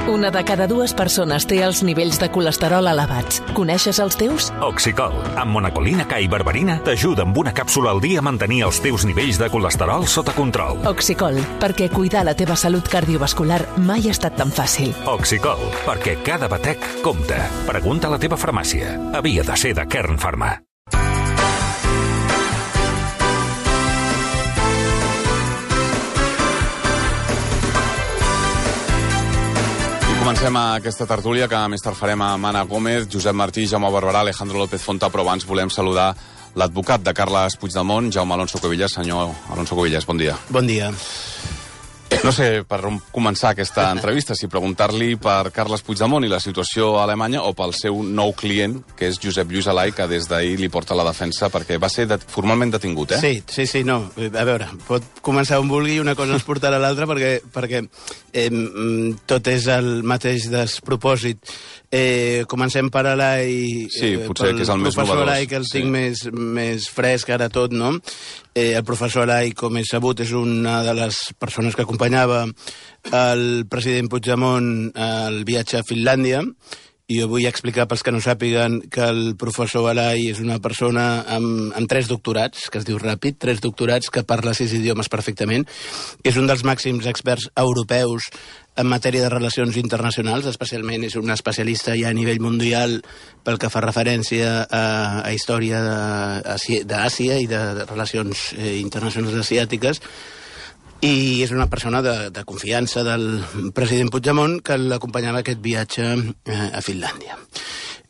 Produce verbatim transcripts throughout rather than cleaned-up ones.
Una de cada dues persones té els nivells de colesterol elevats. Coneixes els teus? Oxicol, amb monacolina K i berberina, t'ajuda amb una càpsula al dia a mantenir els teus nivells de colesterol sota control. Oxicol, perquè cuidar la teva salut cardiovascular mai ha estat tan fàcil. Oxicol, perquè cada batec compta. Pregunta a la teva farmàcia. Havia de ser de Kern Pharma. Comencem aquesta tertúlia que més tard farem amb Anna Gómez, Josep Martí, Jaume Barberà, Alejandro López Fonta, però abans volem saludar l'advocat de Carles Puigdemont, Jaume Alonso Cuevillas. Senyor Alonso Cuevillas, bon dia. Bon dia. No sé per on començar aquesta entrevista, si preguntar-li per Carles Puigdemont i la situació a Alemanya o pel seu nou client, que és Josep Lluís Alay, que des d'ahir li porta la defensa perquè va ser det formalment detingut, eh? Sí, sí, sí, no. A veure, pot començar on vulgui, una cosa ens portarà a l'altra perquè, perquè eh, tot és el mateix despropòsit. Eh, comencem per Alay, sí, potser pel que és el més professor novedós. Alay, que el Sí. tinc més, més fresc ara tot, no? Eh, el professor Alay, com és sabut, és una de les persones que acompanyava el president Puigdemont al viatge a Finlàndia, i jo vull explicar pels que no sàpiguen que el professor Alay és una persona amb, amb tres doctorats, que es diu ràpid, tres doctorats, que parla sis idiomes perfectament, que és un dels màxims experts europeus en matèria de relacions internacionals, especialment és un especialista ja a nivell mundial pel que fa referència a, a història d'Àsia i de, de relacions eh, internacionals asiàtiques, i és una persona de, de confiança del president Puigdemont que l'acompanyava aquest viatge eh, a Finlàndia.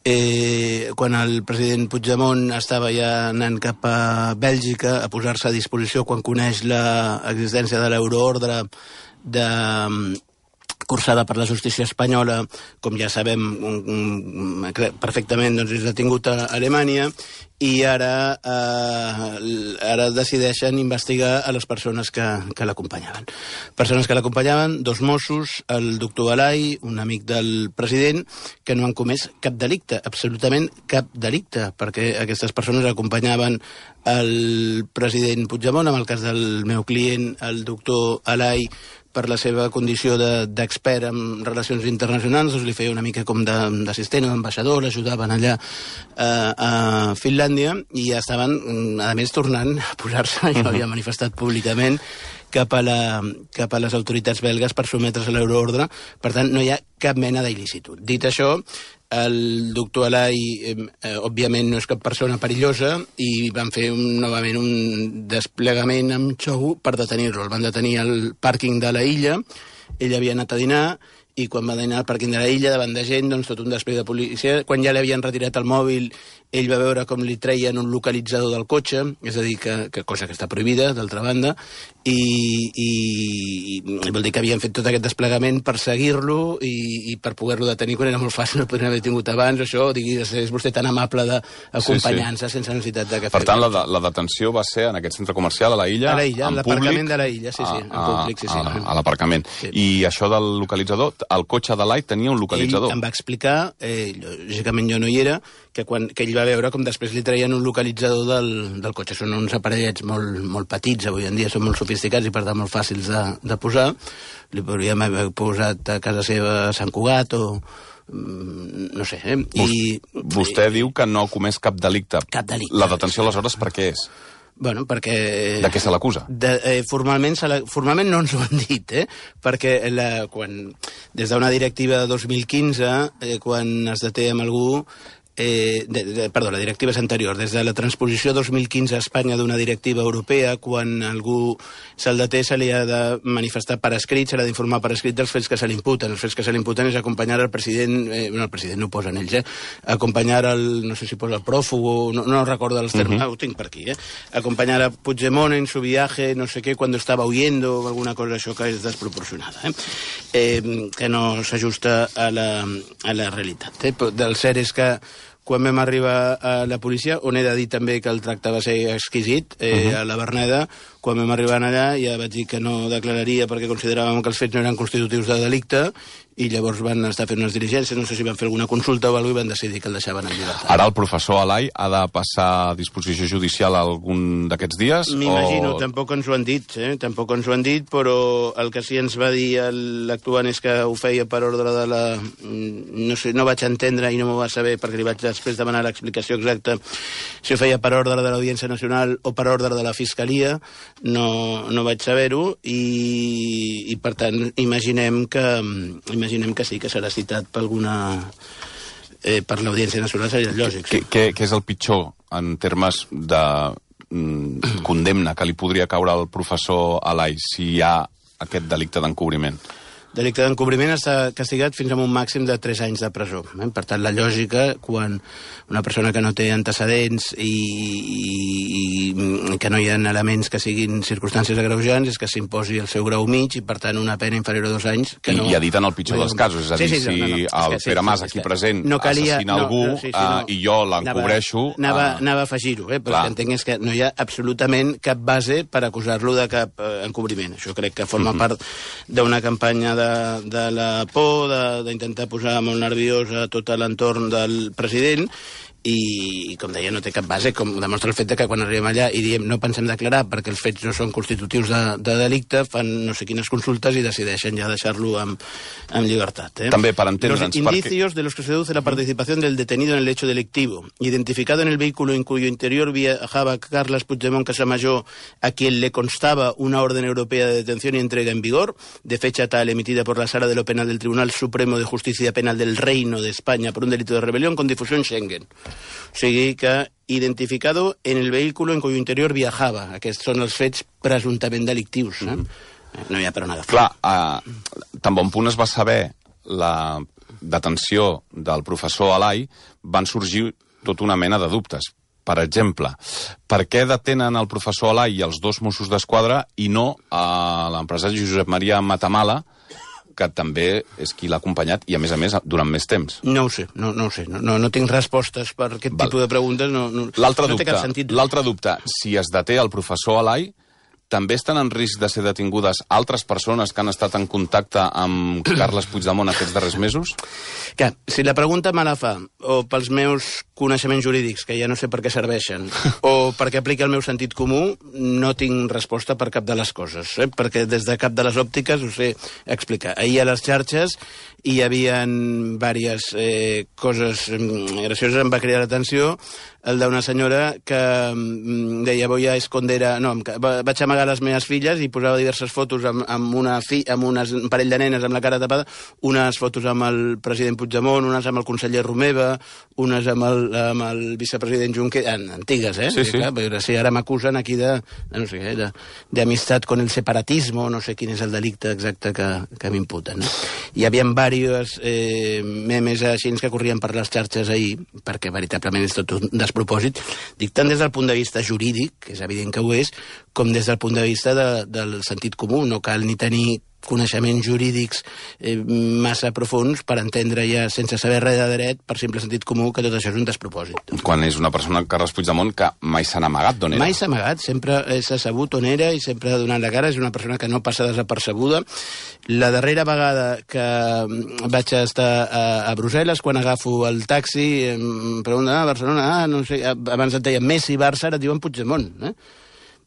Eh, quan el president Puigdemont estava ja anant cap a Bèlgica a posar-se a disposició quan coneix l'existència de l'euroordre de cursada per la justícia espanyola, com ja sabem perfectament, doncs és detingut a Alemanya, i ara, eh, ara decideixen investigar a les persones que, que l'acompanyaven. Persones que l'acompanyaven, dos Mossos, el doctor Alay, un amic del president, que no han comès cap delicte, absolutament cap delicte, perquè aquestes persones acompanyaven el president Puigdemont, en el cas del meu client, el doctor Alay, per la seva condició d'expert en relacions internacionals, doncs li feia una mica com d'assistent o d'ambaixador, l'ajudaven allà eh, a Finlàndia, i ja estaven, a més, tornant a posar-se, jo havia manifestat públicament, cap a, la, cap a les autoritats belgues per sotmetre's a l'euroordre. Per tant, no hi ha cap mena d'il·licitud. Dit això, el doctor Alay, eh, òbviament, no és cap persona perillosa, i van fer un, novament un desplegament amb xou per detenir-lo. El van detenir al pàrquing de la illa, ell havia anat a dinar, i quan va anar al pàrquing de la illa, davant de gent, doncs tot un despleg de policia. Quan ja li havien retirat el mòbil, ell va veure com li treien un localitzador del cotxe, és a dir, que, que cosa que està prohibida, d'altra banda, i, i, i vol dir que havien fet tot aquest desplegament per seguir-lo i, i per poder-lo detenir quan era molt fàcil, no podrien haver tingut abans, això, diguis, és vostè tan amable d'acompanyar-se sí, sí. sense necessitat de que Per tant, la, la detenció va ser en aquest centre comercial, a la illa, a la illa, en l'aparcament de la illa, sí, sí, a, en públic, sí, sí. A, a l'aparcament. Sí. I això del localitzador, el cotxe de l'Alay tenia un localitzador. Ell em va explicar, eh, lògicament jo no hi era, que, quan, que ell va veure com després li traien un localitzador del, del cotxe. Són uns aparellets molt, molt petits, avui en dia són molt sofisticats i per tant molt fàcils de, de posar. Li podríem haver posat a casa seva a Sant Cugat o no sé. Eh? I, Vostè i, diu que no ha comès cap delicte. Cap delicte. La detenció, aleshores, per què és? Bueno, perquè... De què se l'acusa? Eh, formalment, se la, formalment no ens ho han dit, eh? Perquè la, quan, des d'una directiva de dos mil quinze, eh, quan es deté amb algú... Eh, de, de, perdó, la directiva és anterior. Des de la transposició dos mil quinze a Espanya d'una directiva europea, quan algú se'l deté, se li ha de manifestar per escrit, se l'ha d'informar per escrit dels fets que se li imputen. Els fets que se li imputen és acompanyar el president, eh, no, el president no ho posen ells, eh? Acompanyar el, no sé si posa el prófugo, no, no recordo els termes, uh -huh. ah, ho tinc per aquí, eh? Acompanyar a Puigdemont en su viaje, no sé què, cuando estava huyendo, o alguna cosa això que és desproporcionada, eh? Eh, que no s'ajusta a la, a la realitat. Eh? Del cert és que quan vam arribar a la policia, on he de dir també que el tracte va ser exquisit, eh, uh -huh. a la Verneda, Quan vam arribar allà ja vaig dir que no declararia perquè consideràvem que els fets no eren constitutius de delicte i llavors van estar fent unes diligències, no sé si van fer alguna consulta o alguna cosa i van decidir que el deixaven en llibertat. Ara el professor Alay ha de passar a disposició judicial algun d'aquests dies? M'imagino, o... tampoc ens ho han dit, eh? tampoc ens ho han dit, però el que sí ens va dir l'actuant és que ho feia per ordre de la... No sé, no vaig entendre i no m'ho va saber perquè li vaig després demanar l'explicació exacta si ho feia per ordre de l'Audiència Nacional o per ordre de la Fiscalia, no, no vaig saber-ho i, i per tant imaginem que imaginem que sí, que serà citat per alguna... Eh, per l'Audiència Nacional seria lògic. Sí. Què, què és el pitjor en termes de mm, condemna que li podria caure al professor Alay si hi ha aquest delicte d'encobriment? Delicte d'encobriment està castigat fins a un màxim de tres anys de presó. Eh? Per tant, la lògica, quan una persona que no té antecedents i, i, i que no hi ha elements que siguin circumstàncies agreujants, és que s'imposi el seu grau mig i, per tant, una pena inferior a dos anys. Que I, no... I ha dit en el pitjor dels casos, és a dir, sí, sí, no, no, no. si el sí, Pere Mas, sí, aquí present, no calia, assassina algú no, no, sí, sí, no, uh, i jo l'encobreixo... Anava, anava, anava a afegir-ho, eh? però el que entenc és que no hi ha absolutament cap base per acusar-lo de cap uh, encobriment. Això crec que forma mm-hmm. part d'una campanya de De, de la por, d'intentar posar molt nerviós a tot l'entorn del president i, com deia, no té cap base, com demostra el fet que quan arribem allà i diem no pensem declarar perquè els fets no són constitutius de, de delicte, fan no sé quines consultes i decideixen ja deixar-lo en, en llibertat. ¿eh? També per entendre'ns... Los indicios de los que se deduce la participación del detenido en el hecho delictivo, identificado en el vehículo en cuyo interior viajaba Carles Puigdemont Casamayor, a quien le constaba una orden europea de detención y entrega en vigor, de fecha tal emitida por la Sala de lo Penal del Tribunal Supremo de Justicia Penal del Reino de España por un delito de rebelión con difusión Schengen. O sigui que identificado en el vehículo en cuyo interior viajava. Aquests són els fets presumptament delictius. Eh? Mm. No hi ha per on agafar. Clar, uh, tan bon punt es va saber la detenció del professor Alay, van sorgir tota una mena de dubtes. Per exemple, per què detenen el professor Alay i els dos Mossos d'Esquadra i no a l'empresari Josep Maria Matamala, que també és qui l'ha acompanyat i, a més a més, durant més temps? No ho sé, no, no ho sé. No, no, no tinc respostes per aquest Val. tipus de preguntes. No, no, l'altre no dubte, té cap sentit. L'altre dubte, si es deté el professor Alay, també estan en risc de ser detingudes altres persones que han estat en contacte amb Carles Puigdemont aquests darrers mesos? Que, si la pregunta me la fa o pels meus coneixements jurídics, que ja no sé per què serveixen, o perquè aplica el meu sentit comú, no tinc resposta per cap de les coses, eh? perquè des de cap de les òptiques ho sé explicar. Ahir a les xarxes hi havia diverses eh, coses gracioses, em va cridar l'atenció el d'una senyora que mm, deia voy a esconder a... No, vaig amagar les meves filles i posava diverses fotos amb, amb, una fi, amb unes, un parell de nenes amb la cara tapada, unes fotos amb el president Puigdemont, unes amb el conseller Romeva, unes amb el, amb el vicepresident Junqueras, antigues, eh? Sí, sí. Clar, però si ara m'acusen aquí de, no sé què, d'amistat con el separatismo, no sé quin és el delicte exacte que, que m'imputen. No? Hi havia diversos eh, memes així que corrien per les xarxes ahir, perquè veritablement és tot un despropòsit, dic tant des del punt de vista jurídic, que és evident que ho és, com des del punt de vista de, del sentit comú. No cal ni tenir coneixements jurídics eh, massa profuns per entendre ja, sense saber res de dret, per simple sentit comú, que tot això és un despropòsit. Quan és una persona, Carles Puigdemont, que mai s'ha amagat d'on era. Mai s'ha amagat, sempre s'ha sabut on era i sempre ha donat la cara, és una persona que no passa desapercebuda. La darrera vegada que vaig estar a, a Brussel·les, quan agafo el taxi, em pregunten, ah, Barcelona, ah, no sé, abans et deien Messi, Barça, ara et diuen Puigdemont, eh?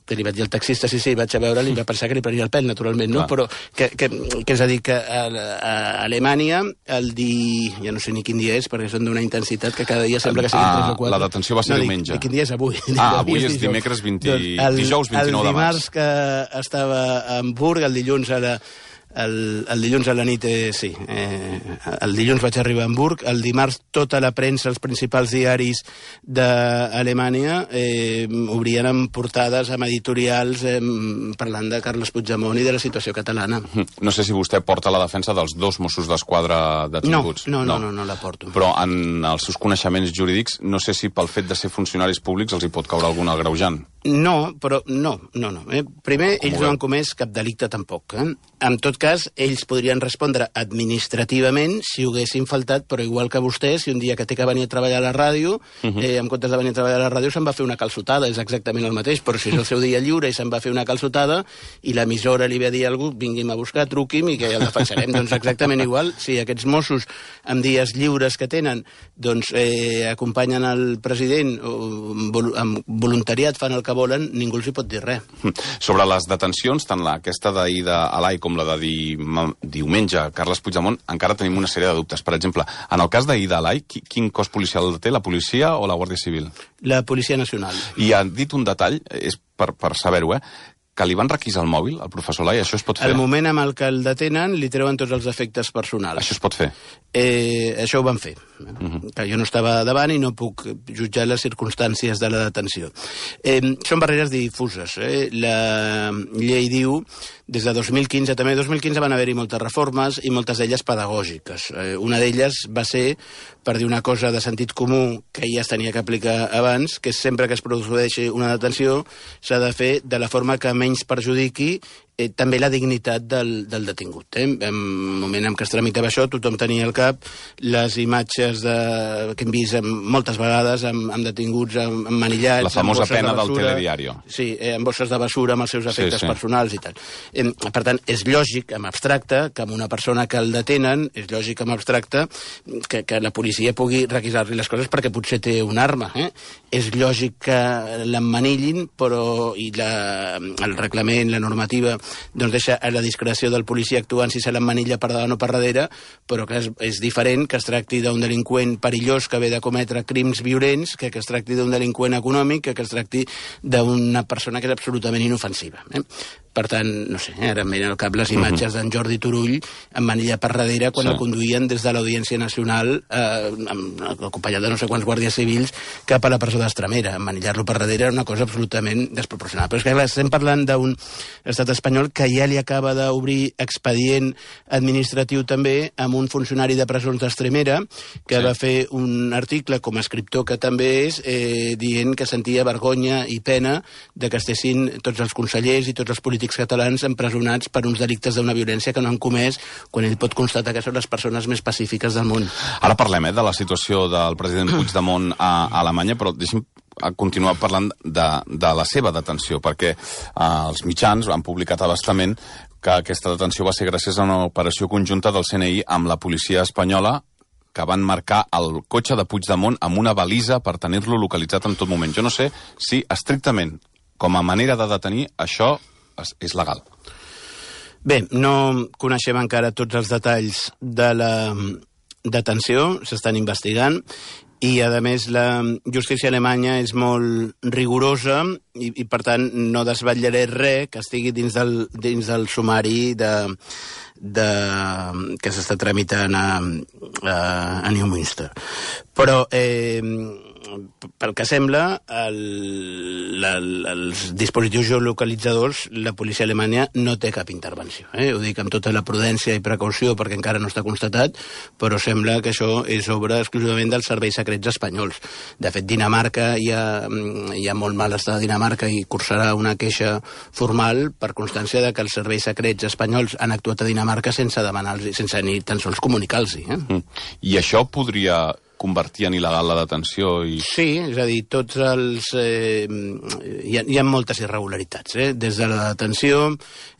Que li vaig dir al taxista, sí, sí, vaig a veure, li va pensar que li prenia el pèl, naturalment, no? Clar. Però que, que, que és a dir, que a, a Alemanya, el di... ja no sé ni quin dia és, perquè són d'una intensitat que cada dia sembla que siguin ah, tres o quatre. La detenció va ser no, diumenge. Dic, quin dia és avui? Ah, avui és dimecres vint... doncs el, dijous vint-i-nou de març. El dimarts que estava a Hamburg, el dilluns a la... El, el dilluns a la nit, eh, sí, eh, el dilluns vaig arribar a Hamburg, el dimarts tota la premsa, els principals diaris d'Alemanya eh, obrien amb portades, amb editorials, eh, parlant de Carles Puigdemont i de la situació catalana. No sé si vostè porta la defensa dels dos Mossos d'Esquadra detinguts. No, no, no, no, no la porto. Però en els seus coneixements jurídics, no sé si pel fet de ser funcionaris públics els hi pot caure algun agreujant. No, però no, no, no. Eh? Primer, ells no han comès cap delicte tampoc. Eh? En tot cas, ells podrien respondre administrativament si ho haguessin faltat, però igual que vostè, si un dia que té que venir a treballar a la ràdio, uh -huh. eh, en comptes de venir a treballar a la ràdio, se'n va fer una calçotada, és exactament el mateix, però si és el seu dia lliure i se'n va fer una calçotada i l'emissora li ve a dir a algú, vingui'm a buscar, truqui'm i que ja el defensarem. Doncs exactament igual, si aquests Mossos, amb dies lliures que tenen, doncs eh, acompanyen el president o amb voluntariat fan el que volen, ningú els hi pot dir res. Sobre les detencions, tant aquesta d'ahir d'Alai com la de di... diumenge, Carles Puigdemont, encara tenim una sèrie de dubtes. Per exemple, en el cas d'ahir d'Alai, quin cos policial té, la policia o la Guàrdia Civil? La Policia Nacional. I han dit un detall, és per, per saber-ho, eh? que li van requisar el mòbil, al professor Lai, això es pot fer? Al moment amb el que el detenen, li treuen tots els efectes personals. Això es pot fer? Eh, això ho van fer. Uh-huh. Que jo no estava davant i no puc jutjar les circumstàncies de la detenció. Eh, són barreres difuses. Eh? La llei diu, des de dos mil quinze, també dos mil quinze van haver-hi moltes reformes i moltes d'elles pedagògiques. Eh, una d'elles va ser per dir una cosa de sentit comú que ja es tenia que aplicar abans, que sempre que es produeixi una detenció s'ha de fer de la forma que menys perjudiqui eh, també la dignitat del, del detingut. Eh? En el moment en què es tramitava això, tothom tenia al cap les imatges de, que hem vist moltes vegades amb, amb detinguts emmanillats... La famosa pena de del telediario. Sí, eh, amb bosses de basura, amb els seus efectes sí, sí. personals i tal. Eh, per tant, és lògic, en abstracte, que amb una persona que el detenen, és lògic, en abstracte, que, que la policia pugui requisar-li les coses perquè potser té una arma. Eh? És lògic que l'emmanillin, però i la, el reglament, la normativa, doncs deixa a la discreció del policia actuant si se l'emmanilla per davant o per darrere, però que és, és diferent que es tracti d'un delinqüent perillós que ve de cometre crims violents que que es tracti d'un delinqüent econòmic que que es tracti d'una persona que és absolutament inofensiva. Eh? Per tant, no sé, ara em venen al cap les imatges d'en Jordi Turull emmanillat per darrere quan sí. el conduïen des de l'Audiència Nacional eh, acompanyat de no sé quants guàrdies civils cap a la presó d'Estremera. Emmanillar-lo per darrere era una cosa absolutament desproporcionada. Però és que clar, estem parlant d'un estat espanyol que ja li acaba d'obrir expedient administratiu també amb un funcionari de presons d'Estremera que sí. va fer un article com a escriptor que també és eh, dient que sentia vergonya i pena de que estessin tots els consellers i tots els polítics catalans empresonats per uns delictes d'una violència que no han comès quan ell pot constatar que són les persones més pacífiques del món. Ara parlem eh, de la situació del president Puigdemont a, a Alemanya, però deixi'm continuar parlant de, de la seva detenció, perquè eh, els mitjans han publicat a bastament que aquesta detenció va ser gràcies a una operació conjunta del C N I amb la policia espanyola que van marcar el cotxe de Puigdemont amb una balisa per tenir-lo localitzat en tot moment. Jo no sé si estrictament, com a manera de detenir, això és legal. Bé, no coneixem encara tots els detalls de la detenció, s'estan investigant, i, a més, la justícia alemanya és molt rigorosa i, i per tant, no desvetllaré res que estigui dins del, dins del sumari de, de, que s'està tramitant a, a, a Neumünster. Però, eh, pel que sembla, el, la, els dispositius geolocalitzadors, la policia alemanya no té cap intervenció. Eh? Ho dic amb tota la prudència i precaució perquè encara no està constatat, però sembla que això és obra exclusivament dels serveis secrets espanyols. De fet, Dinamarca hi ha, hi ha molt mal estat a Dinamarca i cursarà una queixa formal per constància de que els serveis secrets espanyols han actuat a Dinamarca sense demanar-los, sense ni tan sols comunicar-los. Eh? Mm. I això podria convertir en il·legal la detenció? I... Sí, és a dir, tots els... Eh, hi, ha, hi ha moltes irregularitats. Eh? Des de la detenció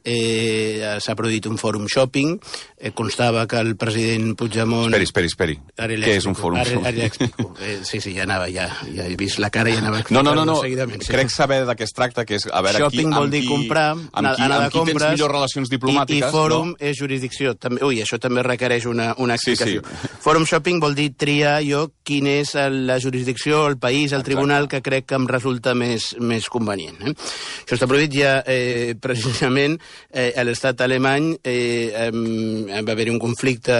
eh, s'ha produït un fòrum shopping, eh, constava que el president Puigdemont... Esperi, esperi, esperi. Què és un fòrum ara, shopping? Ara ja explico. Eh, sí, sí, ja anava, ja, ja he vist la cara i ja anava no, no, no, no. seguidament. Sí. Crec saber de què es tracta, que és a veure shopping qui, vol dir qui, comprar, amb qui, anar amb qui compres, tens millors relacions diplomàtiques. I, i fòrum no? és jurisdicció. També, ui, això també requereix una, una explicació. Sí, sí. Fòrum shopping vol dir triar jo quin és la jurisdicció, el país, el tribunal que crec que em resulta més, més convenient. Eh? Això està prohibit ja eh, precisament eh, a l'estat alemany eh, eh, va haver-hi un conflicte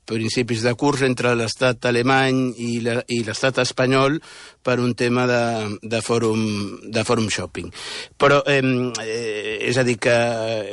principis de curs entre l'estat alemany i l'estat espanyol per un tema de, de, fòrum, de fòrum shopping. Però eh, és a dir que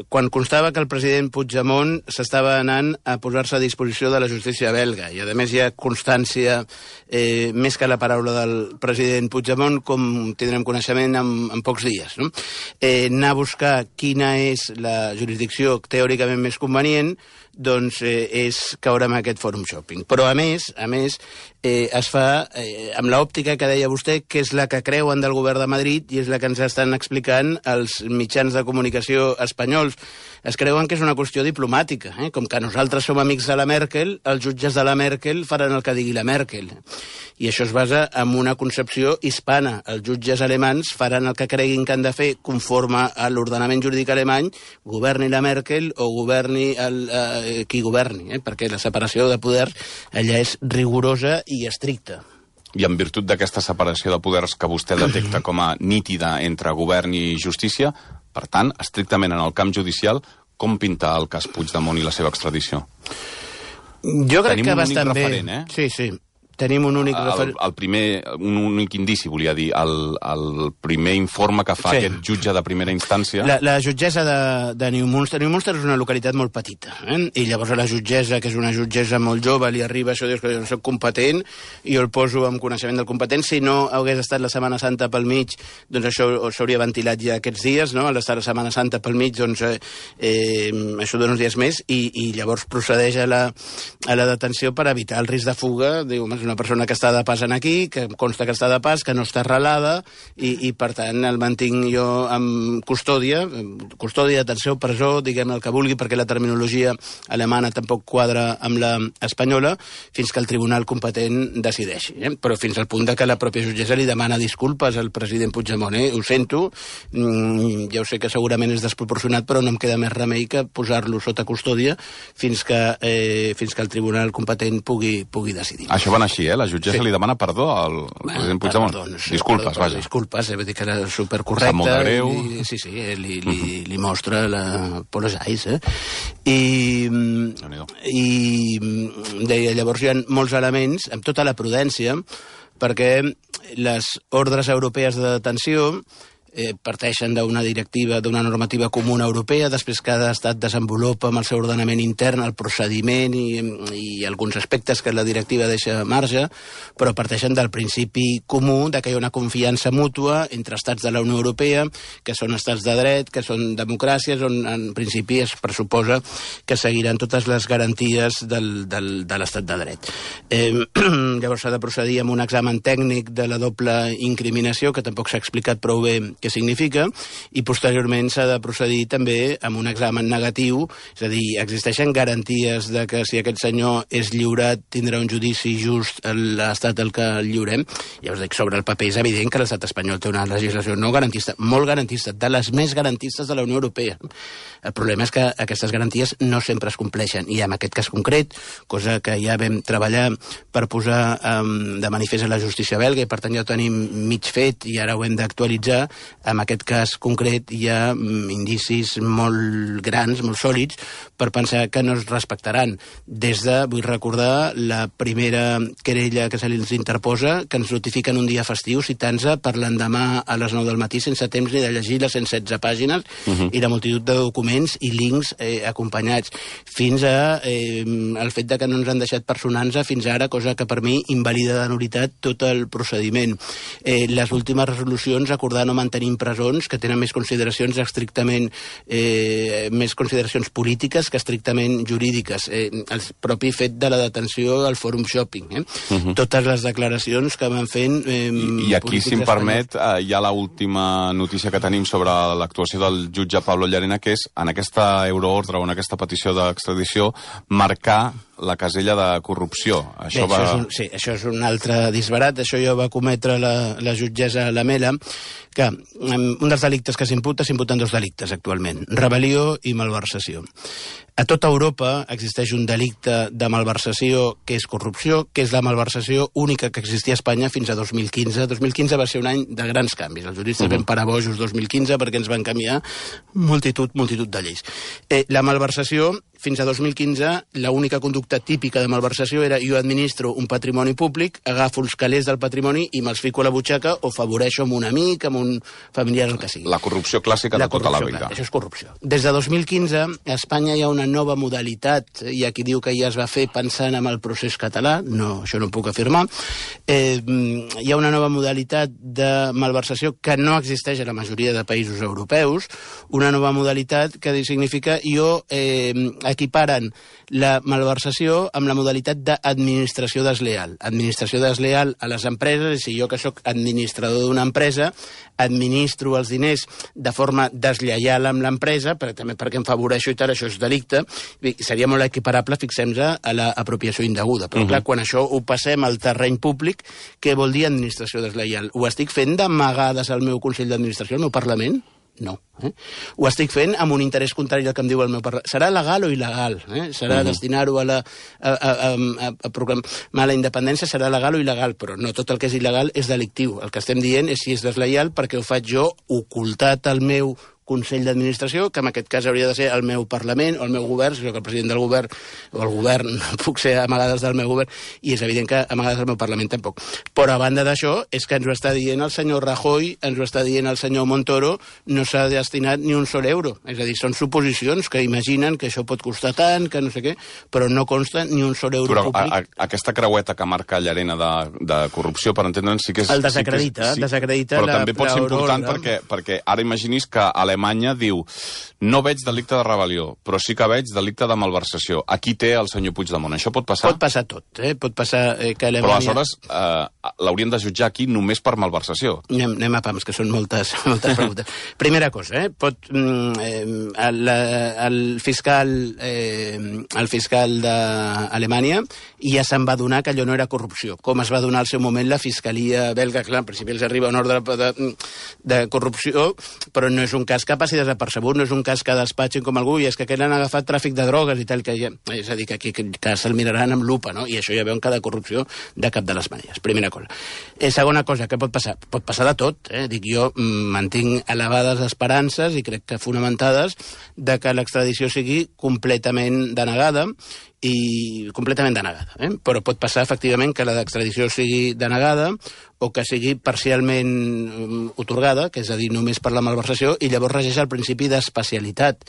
quan constava que el president Puigdemont s'estava anant a posar-se a disposició de la justícia belga, i a més hi ha constància eh, més que la paraula del president Puigdemont, com tindrem coneixement en, en pocs dies, no? Eh, anar a buscar quina és la jurisdicció teòricament més convenient, doncs eh, és caure en aquest fòrum shopping. Però a més, a més, eh, es fa eh, amb l'òptica que deia vostè, que és la que creuen del govern de Madrid i és la que ens estan explicant els mitjans de comunicació espanyols. Es creuen que és una qüestió diplomàtica, eh? Com que nosaltres som amics de la Merkel, els jutges de la Merkel faran el que digui la Merkel. I això es basa en una concepció hispana. Els jutges alemans faran el que creguin que han de fer conforme a l'ordenament jurídic alemany, governi la Merkel o governi el, eh, qui governi, eh? Perquè la separació de poders allà és rigorosa i estricta. I en virtut d'aquesta separació de poders que vostè detecta com a nítida entre govern i justícia, per tant, estrictament en el camp judicial, com pinta el cas Puigdemont i la seva extradició? Jo crec Tenim que un bastant únic bé. referent, eh? Sí, sí. Tenim un únic referent. El, el primer, un únic indici, volia dir, el, el primer informe que fa Sí. aquest jutge de primera instància. La, la jutgessa de, de Neumünster. Neumünster és una localitat molt petita, eh? I llavors a la jutgessa, que és una jutgessa molt jove, li arriba això, dius que jo no soc competent, i jo el poso amb coneixement del competent. Si no hagués estat la Setmana Santa pel mig, doncs això s'hauria ventilat ja aquests dies, no? Al estar la Setmana Santa pel mig, doncs eh, eh, això dona uns dies més, i, i llavors procedeix a la, a la detenció per evitar el risc de fuga. Diu, home, és una persona que està de pas aquí, que consta que està de pas, que no està arrelada, i, i per tant el mantinc jo amb custòdia, custòdia, detenció, presó, diguem el que vulgui, perquè la terminologia alemana tampoc quadra amb la espanyola, fins que el tribunal competent decideixi. Eh? Però fins al punt de que la pròpia jutgessa li demana disculpes al president Puigdemont. Eh? Ho sento, mm, ja ho sé que segurament és desproporcionat, però no em queda més remei que posar-lo sota custòdia fins que, eh, fins que el tribunal competent pugui, pugui decidir. Això va anar així, eh? La jutgessa Sí. li demana perdó al president Puigdemont. Perdó, no sé, disculpes, perdó, vaja. Disculpes, eh? Vull dir que era supercorrecte. Sap molt de greu. I, sí, sí, eh? li, li, li mostra la apologize, eh? I, i deia, llavors hi ha molts elements, amb tota la prudència, perquè les ordres europees de detenció eh, parteixen d'una directiva, d'una normativa comuna europea, després cada estat desenvolupa amb el seu ordenament intern el procediment i, i alguns aspectes que la directiva deixa a marge, però parteixen del principi comú de que hi ha una confiança mútua entre estats de la Unió Europea, que són estats de dret, que són democràcies, on en principi es pressuposa que seguiran totes les garanties del, del, de l'estat de dret. Eh, llavors s'ha de procedir amb un examen tècnic de la doble incriminació, que tampoc s'ha explicat prou bé què significa, i posteriorment s'ha de procedir també amb un examen negatiu, és a dir, existeixen garanties de que si aquest senyor és lliurat tindrà un judici just a l'estat al que el lliurem. Ja us dic, sobre el paper és evident que l'estat espanyol té una legislació no garantista, molt garantista, de les més garantistes de la Unió Europea. El problema és que aquestes garanties no sempre es compleixen, i en aquest cas concret, cosa que ja vam treballar per posar um, de manifest a la justícia belga, i per tant ja ho tenim mig fet i ara ho hem d'actualitzar. En aquest cas concret hi ha indicis molt grans, molt sòlids, per pensar que no es respectaran. Des de, vull recordar, la primera querella que se li interposa, que ens notifiquen un dia festiu citant-se per l'endemà a les nou del matí sense temps ni de llegir les cent setze pàgines uh-huh. i la multitud de documents i links eh, acompanyats, fins a eh, el fet de que no ens han deixat personar-nos fins ara, cosa que per mi invalida de nul·litat tot el procediment. Eh, les últimes resolucions acordar no mantenir presons, que tenen més consideracions estrictament eh, més consideracions polítiques que estrictament jurídiques. Eh, el propi fet de la detenció al fòrum shopping. Eh? Uh-huh. Totes les declaracions que van fent... Eh, I, I aquí, si em permet, eh, hi ha l'última notícia que tenim sobre l'actuació del jutge Pablo Llarena, que és, en aquesta euroordre o en aquesta petició d'extradició, marcar la casella de corrupció. Això Bé, va... això és un, sí, això és un altre disbarat. Això ja va cometre la, la jutgessa Lamela, que um, un dels delictes que s'imputa, s'imputen dos delictes actualment, rebel·lió i malversació. A tota Europa existeix un delicte de malversació que és corrupció, que és la malversació única que existia a Espanya fins a dos mil quinze. dos mil quinze va ser un any de grans canvis. Els juristes uh -huh. vam parar bojos dos mil quinze perquè ens van canviar multitud, multitud de lleis. Eh, la malversació, fins a dos mil quinze, l'única conducta típica de malversació era jo administro un patrimoni públic, agafo els calés del patrimoni i me'ls fico a la butxaca o afavoreixo amb un amic, amb un familiar, el que sigui. La corrupció clàssica la de tota la vida. Clar, això és corrupció. Des de dos mil quinze, a Espanya hi ha una nova modalitat, hi ha qui diu que ja es va fer pensant en el procés català, no, això no ho puc afirmar. Eh, hi ha una nova modalitat de malversació que no existeix a la majoria de països europeus, una nova modalitat que significa jo eh, equiparen la malversació amb la modalitat d'administració desleal. Administració desleal a les empreses, és si jo que sóc administrador d'una empresa, administro els diners de forma deslleial amb l'empresa, però també perquè em favoreixo i tal, això és delicte, i seria molt equiparable, fixem-nos, a l'apropiació indeguda. Però, uh -huh. clar, quan això ho passem al terreny públic, què vol dir administració desleial? Ho estic fent d'amagades al meu Consell d'Administració, al meu Parlament? No. Eh? Ho estic fent amb un interès contrari al que em diu el meu Parlament. Serà legal o il·legal? Eh? Serà uh -huh. destinar-ho a, la, a, a, a, a proclamar la independència, serà legal o il·legal, però no tot el que és il·legal és delictiu. El que estem dient és si és desleial perquè ho faig jo ocultat al meu Consell d'Administració, que en aquest cas hauria de ser el meu Parlament o el meu govern, si soc el president del govern o el govern, no puc ser amagades del meu govern, i és evident que amagades del meu Parlament tampoc. Però a banda d'això, és que ens ho està dient el senyor Rajoy, ens ho està dient el senyor Montoro, no s'ha destinat ni un sol euro. És a dir, són suposicions que imaginen que això pot costar tant, que no sé què, però no consta ni un sol euro però públic. A, a, aquesta creueta que marca Llarena de, de corrupció, per entendre'ns, sí que és... El desacredita, sí que és, sí, desacredita però la, també pot ser important Aurora. perquè, perquè ara imaginis que Alemanya diu no veig delicte de rebel·lió, però sí que veig delicte de malversació. Aquí té el senyor Puigdemont. Això pot passar? Pot passar tot, eh? Pot passar eh, que Però Alemanya... aleshores eh, l'haurien de jutjar aquí només per malversació. Anem, anem a pams, que són moltes, moltes preguntes. Primera cosa, eh? Pot, mm, eh, el, el fiscal eh, el fiscal d'Alemanya ja se'n va adonar que allò no era corrupció. Com es va donar al seu moment la fiscalia belga, clar, en principi els arriba un ordre de, de, de corrupció, però no és un cas que passi desapercebut, no és un cas que despatxin com algú, i és que aquell han agafat tràfic de drogues i tal, que ja, és a dir, que aquí que, que se'l miraran amb lupa, no? I això ja veuen que de corrupció de cap de les maneres. Primera cosa. Eh, segona cosa, què pot passar? Pot passar de tot, eh? Dic, jo mm, mantinc elevades esperances, i crec que fonamentades, de que l'extradició sigui completament denegada, i completament denegada. Eh? Però pot passar, efectivament, que l'extradició sigui denegada o que sigui parcialment um, otorgada, que és a dir, només per la malversació, i llavors regeix el principi d'especialitat.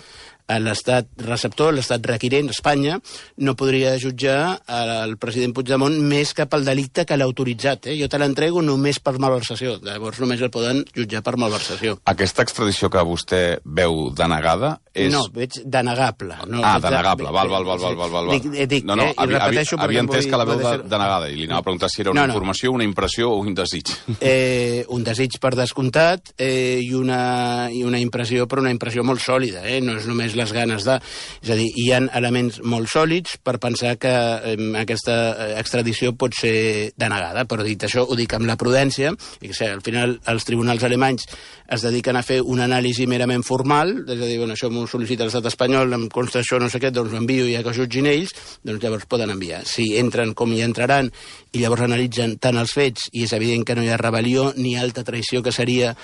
L'estat receptor, l'estat requirent, Espanya, no podria jutjar el president Puigdemont més que pel delicte que l'ha autoritzat. Eh? Jo te l'entrego només per malversació. Llavors només el poden jutjar per malversació. Aquesta extradició que vostè veu denegada és... No, veig denegable. No, ah, veig denegable. De... Val, val, val, val, val, val. Dic, dic, no, no, eh, i repeteixo... Havia entès que la veu de, ser... denegada, i li anava a preguntar si era una no, no. informació, una impressió o un desig. Eh, un desig per descomptat eh, i, una, i una impressió, però una impressió molt sòlida. Eh? No és només les ganes de... És a dir, hi ha elements molt sòlids per pensar que eh, aquesta extradició pot ser denegada, però dit això, ho dic amb la prudència, i que sé, al final els tribunals alemanys es dediquen a fer una anàlisi merament formal, és a dir, bueno, això m'ho sol·licita l'estat espanyol, em consta això, no sé què, doncs ho envio i ja que ho jutgin ells, doncs llavors poden enviar. Si entren com hi entraran i llavors analitzen tant els fets, i és evident que no hi ha rebel·lió ni alta traïció, que seria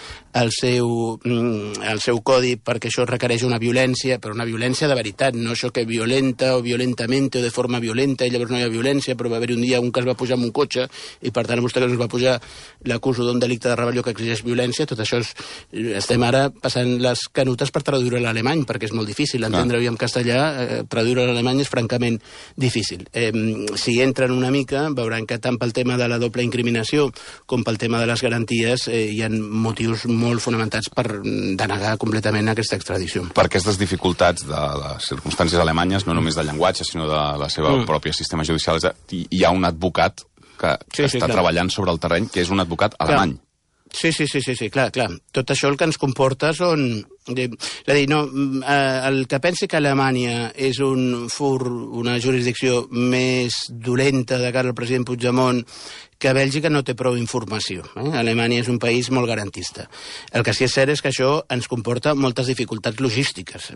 el seu, el seu codi, perquè això requereix una violència, però una violència de veritat, no això que violenta o violentamente o de forma violenta, i llavors no hi ha violència, però va haver un dia un que es va pujar amb un cotxe, i per tant vostè que es va pujar l'acuso d'un delicte de rebel·lió que exigeix violència. Tot això és, estem ara passant les canutes per traduir-ho a l'alemany, perquè és molt difícil entendre-ho en castellà, eh, traduir-ho a l'alemany és francament difícil. Eh, si entren una mica, veuran que tant pel tema de la doble incriminació com pel tema de les garanties eh, hi ha motius molt fonamentats per denegar completament aquesta extradició. Per aquestes dificultats de les circumstàncies alemanyes, no només de llenguatge, sinó de la seva mm. pròpia sistema judicial, hi ha un advocat que sí, sí, està clar. treballant sobre el terreny, que és un advocat alemany. Clar. Sí, sí, sí, sí, sí, clar, clar. Tot això el que ens comporta són... És a dir, no, el que pensi que Alemanya és un fur, una jurisdicció més dolenta de cara al president Puigdemont que Bèlgica no té prou informació. Eh? Alemanya és un país molt garantista. El que sí és cert és que això ens comporta moltes dificultats logístiques.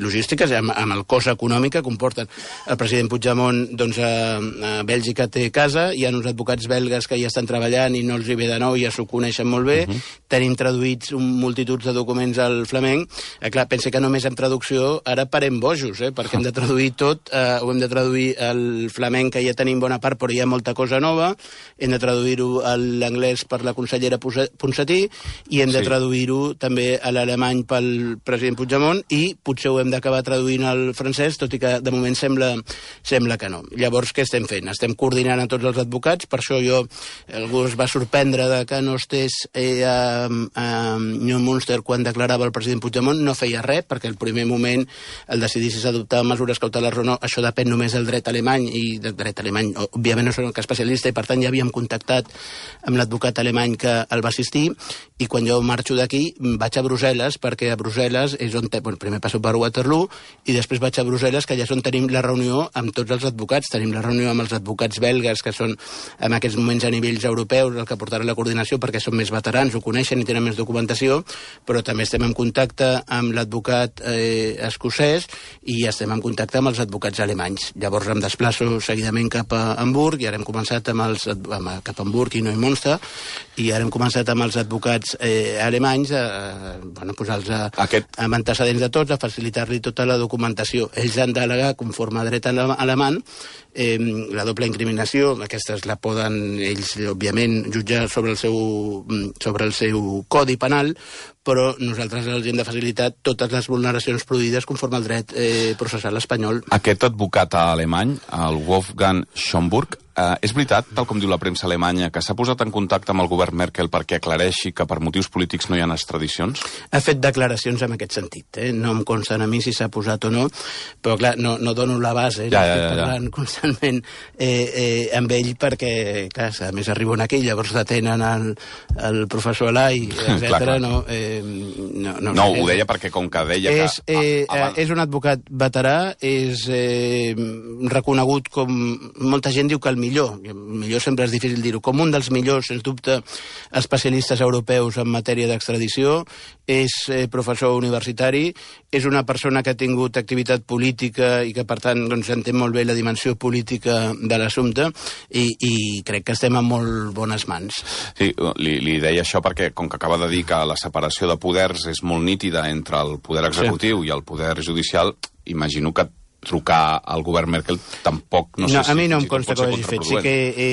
Logístiques amb, amb el cost econòmic que comporten. El president Puigdemont, doncs, a, a Bèlgica té casa, hi ha uns advocats belgues que hi estan treballant i no els hi ve de nou, ja s'ho coneixen molt bé, uh-huh. Tenim traduïts un multituds de documents al flamenc. Eh, clar, pensa que només amb traducció ara parem bojos, eh, perquè hem de traduir tot, eh, ho hem de traduir al flamenc, que ja tenim bona part, però hi ha molta cosa nova, hem de traduir-ho a l'anglès per la consellera Ponsatí, i hem de sí. traduir-ho també a l'alemany pel president Puigdemont, i potser ho hem d'acabar traduint al francès, tot i que de moment sembla, sembla que no. Llavors, què estem fent? Estem coordinant a tots els advocats, per això jo, algú es va sorprendre de que no estés eh, a a Neumünster quan declarava el president Puigdemont, no feia res, perquè el primer moment el decidir si s'adoptaven mesures cautelars o no, això depèn només del dret alemany, i del dret alemany, òbviament no soc especialista, i per tant ja havíem contactat amb l'advocat alemany que el va assistir, i quan jo marxo d'aquí vaig a Brussel·les, perquè a Brussel·les és on... Te... Bueno, primer passo per Waterloo, i després vaig a Brussel·les, que allà és on tenim la reunió amb tots els advocats. Tenim la reunió amb els advocats belgues, que són en aquests moments a nivells europeus, el que portarà la coordinació, perquè són més veterans, ho coneixen i tenen més documentació, però també estem en contacte amb l'advocat eh, escocès, i estem en contacte amb els advocats alemanys. Llavors em desplaço seguidament cap a Hamburg, i ara hem començat amb els, amb, cap a Hamburg i Neumünster, i ara hem començat amb els advocats eh, alemanys a, a bueno, posar-los a, Aquest... amb antecedents de tots, a facilitar-li tota la documentació. Ells han d'al·legar, conforme a dret alemany, eh, la doble incriminació, aquestes la poden ells, òbviament, jutjar sobre el seu, sobre el seu codi penal, però nosaltres els hem de facilitar totes les vulneracions produïdes conforme al dret eh, processal espanyol. Aquest advocat alemany, el Wolfgang Schomburg, eh, és veritat, tal com diu la premsa alemanya, que s'ha posat en contacte amb el govern Merkel perquè aclareixi que per motius polítics no hi ha extradicions? Ha fet declaracions en aquest sentit. Eh? No em consta a mi si s'ha posat o no, però clar, no, no dono la base, ja, ja, ja, parlant ja. constantment eh, eh, amb ell, perquè clar, a més arriben aquí, llavors detenen el, el professor Alai, etcètera. No, eh, no, no, no ho deia perquè com que deia és, que... Eh, ah, és un advocat veterà, és eh, reconegut com... Molta gent diu que el millor, el millor sempre és difícil dir-ho, com un dels millors, sens dubte, especialistes europeus en matèria d'extradició, és eh, professor universitari, és una persona que ha tingut activitat política i que, per tant, doncs, entén molt bé la dimensió política de l'assumpte, i, i crec que estem en molt bones mans. Sí, li, li deia això perquè, com que acaba de dir que la separació de poders és molt nítida entre el poder executiu sí. i el poder judicial, imagino que trucar al govern Merkel tampoc... No, no sé a si, mi no si em consta que ho hagi fet. Sí que he,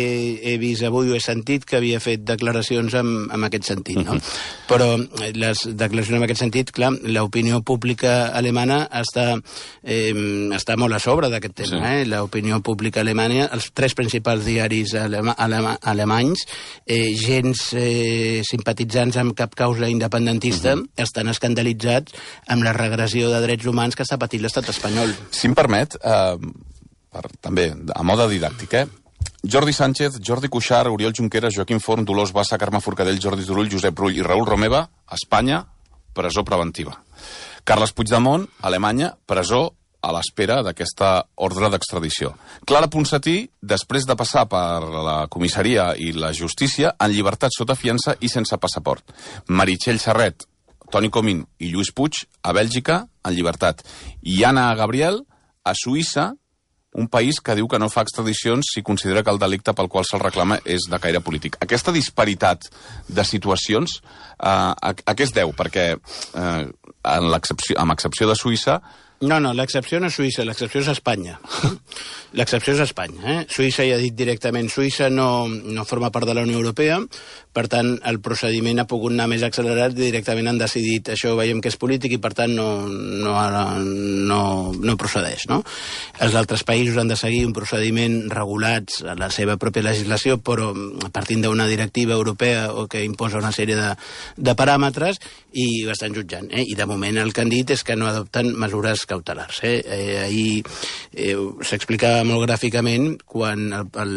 he vist avui, ho he sentit, que havia fet declaracions en, en aquest sentit, no? Uh-huh. Però les declaracions en aquest sentit, clar, l'opinió pública alemana està, eh, està molt a sobre d'aquest tema. Sí. Eh? L'opinió pública alemanya, els tres principals diaris alema, alema, alemanys, eh, gens eh, simpatitzants amb cap causa independentista, uh-huh. estan escandalitzats amb la regressió de drets humans que està patint l'estat espanyol. Si em permet, eh, per, també, a mode didàctic, eh? Jordi Sánchez, Jordi Cuixart, Oriol Junqueras, Joaquim Forn, Dolors Bassa, Carme Forcadell, Jordi Turull, Josep Rull i Raül Romeva, Espanya, presó preventiva. Carles Puigdemont, Alemanya, presó a l'espera d'aquesta ordre d'extradició. Clara Ponsatí, després de passar per la comissaria i la justícia, en llibertat sota fiança i sense passaport. Meritxell Serret, Toni Comín i Lluís Puig, a Bèlgica, en llibertat. I Anna Gabriel, a Suïssa, un país que diu que no fa extradicions si considera que el delicte pel qual se'l reclama és de caire polític. Aquesta disparitat de situacions, eh, a, a què es deu? Perquè, eh, en l'excepció, amb excepció de Suïssa... No, no, l'excepció no és Suïssa, l'excepció és Espanya. L'excepció és Espanya. Eh? Suïssa ja ha dit directament, Suïssa no, no forma part de la Unió Europea, per tant, el procediment ha pogut anar més accelerat i directament han decidit, això veiem que és polític i per tant no, no, no, no procedeix. No? Els altres països han de seguir un procediment regulats a la seva pròpia legislació, però partint d'una directiva europea o que imposa una sèrie de, de paràmetres i ho estan jutjant. Eh? I de moment el que han dit és que no adopten mesures cautelars. Eh? Eh, ahir eh, s'explicava molt gràficament, quan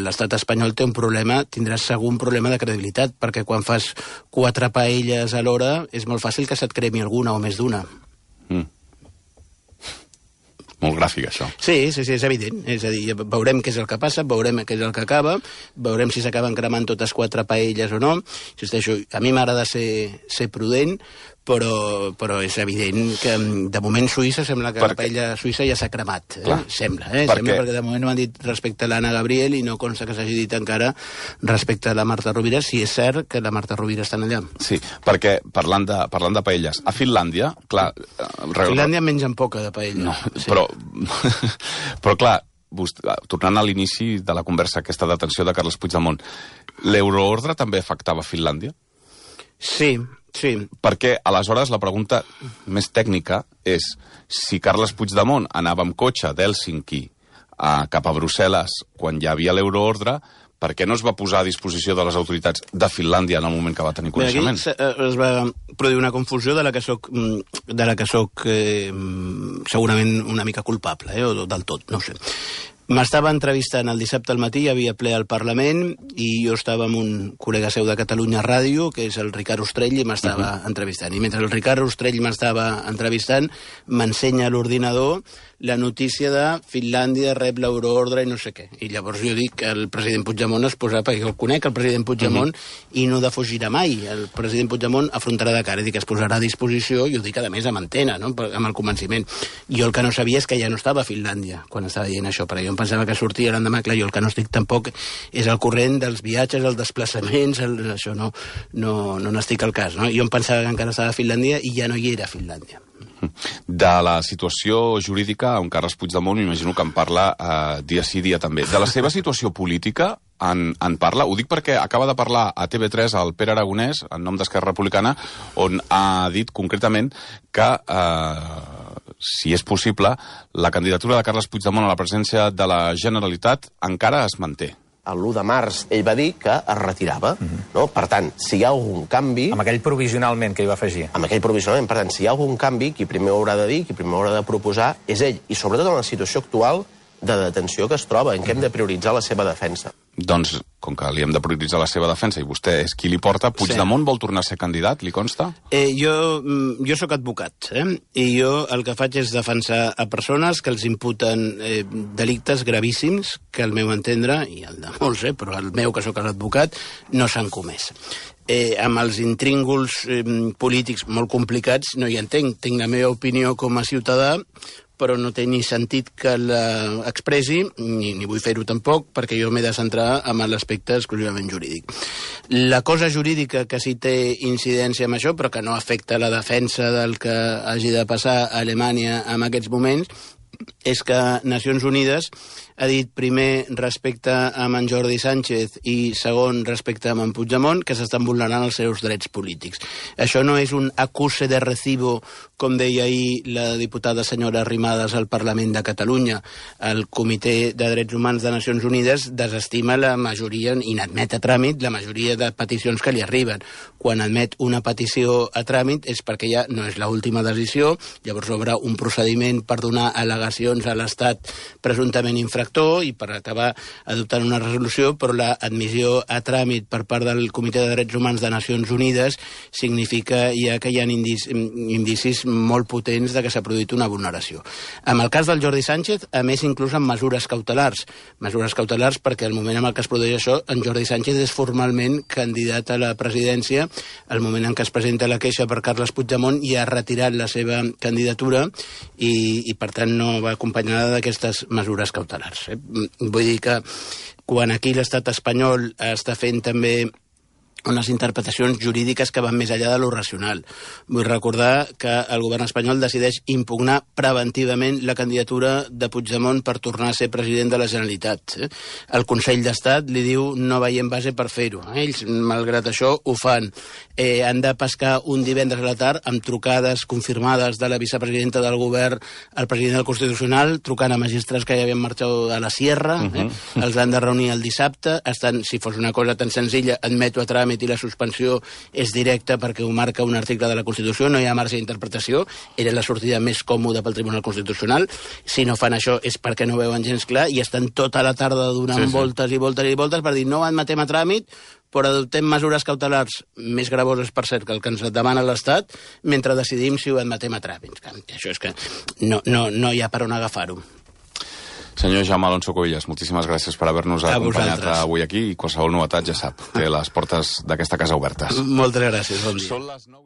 l'estat espanyol té un problema, tindràs segur un problema de credibilitat, perquè quan fas quatre paelles alhora és molt fàcil que se't cremi alguna o més d'una. Mm. molt gràfic, això. Sí, sí, sí, és evident. És a dir, veurem què és el que passa, veurem què és el que acaba, veurem si s'acaben cremant totes quatre paelles o no. Insisteixo, a mi m'agrada ser, ser prudent, però, però és evident que de moment Suïssa sembla que perquè... la paella suïssa ja s'ha cremat. Eh? Sembla, eh? Perquè... Sembla, perquè de moment no m'han dit respecte a l'Anna Gabriel i no consta que s'hagi dit encara respecte a la Marta Rovira, si és cert que la Marta Rovira està allà. Sí, perquè parlant de, parlant de paelles, a Finlàndia, clar... A Finlàndia mengen poca de paella. No, sí. però, però clar, tornant a l'inici de la conversa, aquesta detenció de Carles Puigdemont, l'euroordre també afectava Finlàndia? Sí, sí. Perquè, aleshores, la pregunta més tècnica és si Carles Puigdemont anava amb cotxe d'Hèlsinki a, cap a Brussel·les quan hi havia l'euroordre, per què no es va posar a disposició de les autoritats de Finlàndia en el moment que va tenir coneixement? Bé, aquí es va produir una confusió de la que soc, de la que soc eh, segurament una mica culpable, eh, o del tot, no ho sé. M'estava entrevistant el dissabte al matí, hi havia ple al Parlament, i jo estava amb un col·lega seu de Catalunya Ràdio, que és el Ricard Ostrell, i m'estava uh-huh. entrevistant. I mentre el Ricard Ostrell m'estava entrevistant, m'ensenya a l'ordinador la notícia de Finlàndia rep l'euroordre i no sé què. I llavors jo dic que el president Puigdemont es posarà, perquè el conec, el president Puigdemont, uh-huh. i no defugirà mai. El president Puigdemont afrontarà de cara, i dic que es posarà a disposició, i ho dic a més amb antena, no? Amb el convenciment. Jo el que no sabia és que ja no estava a Finlàndia quan estava dient això, perquè jo em pensava que sortia l'endemà, clar, jo el que no estic tampoc és el corrent dels viatges, els desplaçaments, el, això no, no, no n'estic al cas, no? Jo em pensava que encara estava a Finlàndia i ja no hi era a Finlàndia. De la situació jurídica, on Carles Puigdemont m'imagino que en parla eh, dia sí, dia també. De la seva situació política en, en parla? Ho dic perquè acaba de parlar a T V tres el Pere Aragonès, en nom d'Esquerra Republicana, on ha dit concretament que, eh, si és possible, la candidatura de Carles Puigdemont a la presidència de la Generalitat encara es manté. l'u de març ell va dir que es retirava. Uh-huh. No? Per tant, si hi ha algun canvi... Amb aquell provisionalment que hi va afegir. Amb aquell provisionalment. Per tant, si hi ha algun canvi, qui primer ho haurà de dir, qui primer ho haurà de proposar, és ell. I sobretot en la situació actual de detenció que es troba, en què hem de prioritzar la seva defensa. Doncs, com que li hem de prioritzar la seva defensa i vostè és qui li porta, Puigdemont sí. Vol tornar a ser candidat, li consta? Eh, jo, jo sóc advocat, eh? I jo el que faig és defensar a persones que els imputen eh, delictes gravíssims, que al meu entendre, i el de molts, eh, però el meu, que sóc l'advocat, no s'han comès. Eh, amb els intrínguls eh, polítics molt complicats no hi entenc. Tinc la meva opinió com a ciutadà, però no té ni sentit que l'expressi, ni, ni vull fer-ho tampoc, perquè jo m'he de centrar en l'aspecte exclusivament jurídic. La cosa jurídica que sí té incidència amb això, però que no afecta la defensa del que hagi de passar a Alemanya en aquests moments, és que Nacions Unides ha dit primer respecte a en Jordi Sánchez i segon respecte a en Puigdemont que s'estan vulnerant els seus drets polítics. Això no és un acuse de recibo, com deia ahir la diputada senyora Arrimadas al Parlament de Catalunya. El Comitè de Drets Humans de Nacions Unides desestima la majoria i n'admet a tràmit la majoria de peticions que li arriben. Quan admet una petició a tràmit és perquè ja no és l'última decisió, llavors obre un procediment per donar al·legacions a l'Estat presumptament infractor i per acabar adoptant una resolució, però l'admissió a tràmit per part del Comitè de Drets Humans de Nacions Unides significa ja que hi ha indicis, indicis molt potents de que s'ha produït una vulneració. En el cas del Jordi Sánchez, a més, inclús amb mesures cautelars. Mesures cautelars perquè al moment en què es produeix això, en Jordi Sánchez és formalment candidat a la presidència. Al moment en què es presenta la queixa per Carles Puigdemont ja ha retirat la seva candidatura i, i per tant, no va acompanyada d'aquestes mesures cautelars. Vull dir que quan aquí l'estat espanyol està fent també unes interpretacions jurídiques que van més enllà de lo racional. Vull recordar que el govern espanyol decideix impugnar preventivament la candidatura de Puigdemont per tornar a ser president de la Generalitat. El Consell d'Estat li diu no veiem base per fer-ho. Ells, malgrat això, ho fan. Eh, han de pescar un divendres a la tard amb trucades confirmades de la vicepresidenta del govern al president del Constitucional, trucant a magistrats que ja havien marxat a la Sierra, eh? Uh-huh. Els han de reunir el dissabte. Estan, si fos una cosa tan senzilla, admeto a tràmit i la suspensió és directa perquè ho marca un article de la Constitució, no hi ha marge d'interpretació, era la sortida més còmoda pel Tribunal Constitucional. Si no fan això és perquè no veuen gens clar i estan tota la tarda donant sí, sí. voltes i voltes i voltes per dir no admetem a tràmit però adoptem mesures cautelars més gravoses, per cert, que el que ens demana l'Estat, mentre decidim si ho admetem a tràmit. Això és que no, no, no hi ha per on agafar-ho. Senyor Jaume Alonso Cuevillas, moltíssimes gràcies per haver-nos acompanyat avui aquí i qualsevol novetat ja sap, té les portes d'aquesta casa obertes. Moltes gràcies, bon dia.